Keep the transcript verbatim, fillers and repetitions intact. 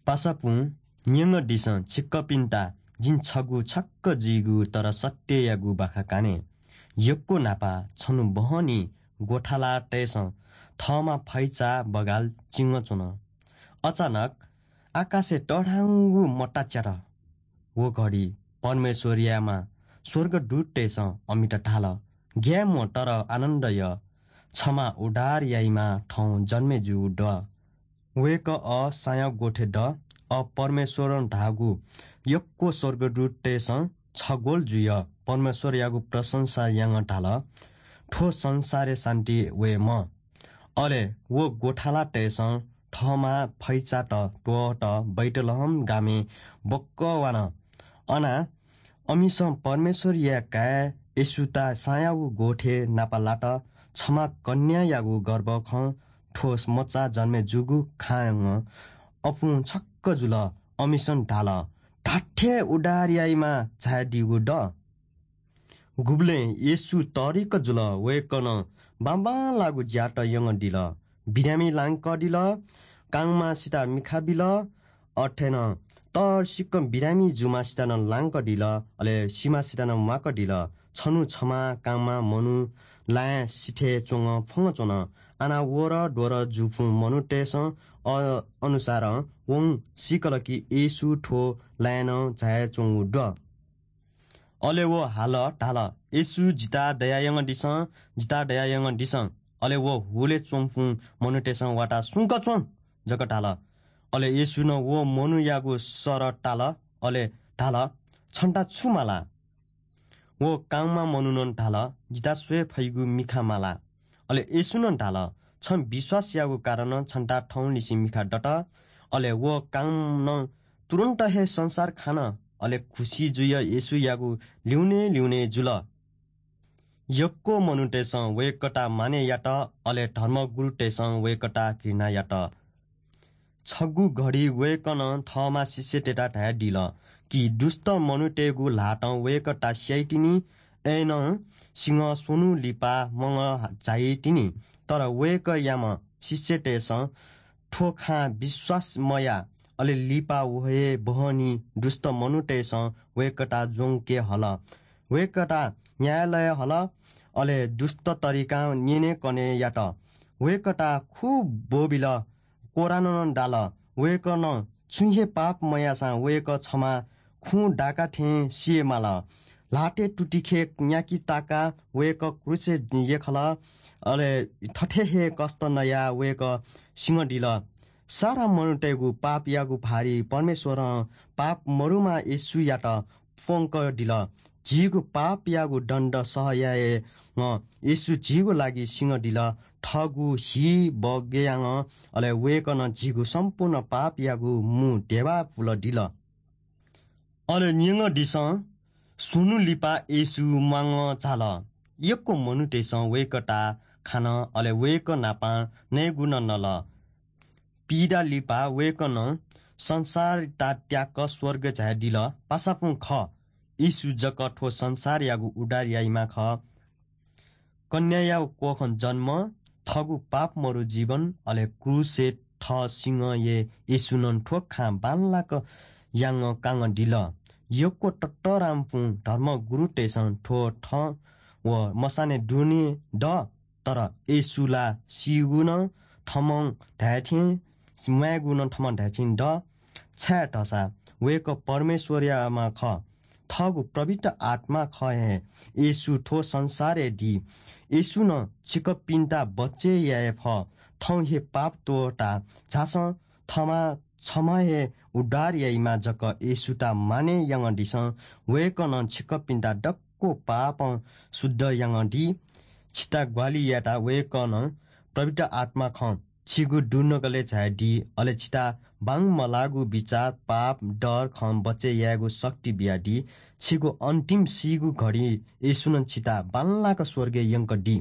पासापुं न्यंगदिसँ छिकपिन्त जिं छगू छक्क जुइगु तर सत्ययागु बाखा काने। यक्व न्हापा छन्हु बहनी गोठालातय्‌सं थःमा फैचा बगाल चिंगः च्वन। अचानक आकाशय् तःधंगु मता च्यात। व घडी परमेश्वरयाम्ह स्वर्गदूततय्‌सं अमित धाल, "ग्याये म्वाः तर आनन्द या, छम्ह उद्धार याइम्ह थौं जन्मे जूगु दु। वय्‌कः अ सायागु गोठय् दु, अ परमेश्वरं धाःगु।" यक्व स्वर्गदूततय्‌सं छग्वल जुयाः परमेश्वरयागु प्रशंसा यानाः धाल, "थ्व संसारय् शान्ति वयेमा।" अले व गोठालातय्‌सं थःमा फैचात त्वःत बैतलहम गामय् ब्वकः वान। अन अमिसं परमेश्वरया काय् येशूत सायागु गोठय् नापलात। छम्ह कन्यायागु गर्भखं थ्व मचा जन्मे जूगु खनाः अपुं छक्क जुल। अमिसं धाल, "धात्थें उद्धार याइम्ह झायादीगु दु।" गुबलें येशू तःधिक जुल, वय्‌कलं बांबांलाःगु ज्यात यानादिल। बिरामी लांकादिल, कांम्हसित मिखा बिल, अथे नं तःधिक बिरामी जूम्हसित नं लांकादिल, अले सीम्हसित नं म्वाकादिल। छन्हु छम्ह कांम्ह मनू लाँय् सिथय् च्वंगः फ्वंगः च्वन। आना वरद्वरं जूपिं मनूतय्‌सं अ-, अनुसारं वं सीकल कि येशू थ्व लाँय् नं झायाच्वंगु दु। अले व हाल धाल, "येशू, जितः दया यानादिसँ, जितः दया यानादिसँ।" अले व हुलय् च्वंपिं मनूतय्‌सं वाताः "सुंक च्वँ" जक धाल। अले येशूं व मनूयागु सर ताल, अले धाल, "छन्त छु माला?" व कांम्ह मनुखं धाल, "जितः स्वये फइगु मिखा माला।" अले येशूं धाल, "छं विश्वास याःगु कारणं छन्त थौंनिसें मिखा दत।" अले व कांम्हं तुरुन्त हे संसार खान, अले खुसी जुयाः येशूयागु ल्यूने ल्यूने जुल। यक्व मनूतय्‌सं वय्‌कःत मानय् यात, अले धर्मगुरुतय्‌सं वय्‌कःत घृणा यात। छगू घडी वय्‌कलं थःम्ह शिष्यतय्‌त धयादिल कि दुष्ट मनूतय्‌गु ल्हातं वय्‌कःत स्याइतिनि, अय्‌नं सिंह स्वन्हु लिपा मंगः झाइतिनि। तर वय्‌कःयाम्ह शिष्यतय्‌सं थ्व खँ विश्वास मयाः, अले लिपा व हे बहनी दुष्ट मनूतय्‌सं वय्‌कःत ज्वंके हल। वय्‌कःत न्यायालयय् हल, अले दुष्ट तरिकां न्यनेकने यात। वय्‌कःत खू ब्वबिल, कोर्रां नं दाल। वय्‌कलं छुं हे पाप मयाःसां वय्‌कः छम्ह खुँ दाका थें सिये माल। ल्हातय् तुतिखे न्याकि ताकाः वय्‌कः क्रूसय् यख्खल। अले थथे हे कष्ट नयाः वय्‌कः सिंहदिल। सारा मनूतय्‌गु पापयागु भारी परमेश्वरं पाप मरुम्ह येशूयात प्वंकादिल। झीगु पापयागु दण्ड सह यायेवं येशू झीगु लागि सिंहदिल। थःगु हि बगयां, अले वय्‌कलं झीगु सम्पूर्ण पापयागु मू धेबा पुलादिल। अले न्यंगदिसँ स्वन्हु लिपा येशू म्वांगः झाल। यक्व मनूतय्‌सं वय्‌कःत खान, अले वय्‌कः नाप नयेगु नं नल। पीदा लिपा वय्‌कलं संसारयात त्याक स्वर्गय् झायादिल। पासापुं खः, येशू जक थ्व संसारयागु उद्धार याइम्ह खः। कन्यायागु कोखं जन्म, थःगु पाप मरु जीवन, अले क्रूसय् थः सिंहय् येशूनं थ्व खँ बांलाक यानाः कानादिल। यक्व ततःधंपिं धर्मगुरुतय्‌सं थ्व थं व मसानय् दुने दु, तर येशू ला सीगु नं थःम्हं धायेथें, म्वायेगु नं थःम्हं धायेथें दु, छाय्‌धाःसा वय्‌कः परमेश्वरयाम्ह खः। थःगु पवित्र आत्मा खः हे येशू थ्व संसारय् दी। येशूनं छिकपिन्त बचय् याये फः। थौं हे पाप त्वःता झासँ, थःम्हं छम्ह हे उद्धार याइम्ह जक येशूत मानय् यानादिसँ। वय्‌कलं छिकपिन्त दक्व पापं शुद्ध यानादी। छितः ग्वाहालि यायेत वय्‌कलं पवित्र आत्मा खः। छिगु दुनुगलय् झायादी, अले छितः बांमलाःगु बिचाः, पाप, डर खँ बचय् यायेगु शक्ति बियादी। छिगु अन्तिम सीगु घडी येशूनं छितः बांलाक स्वर्गय् यंकादी।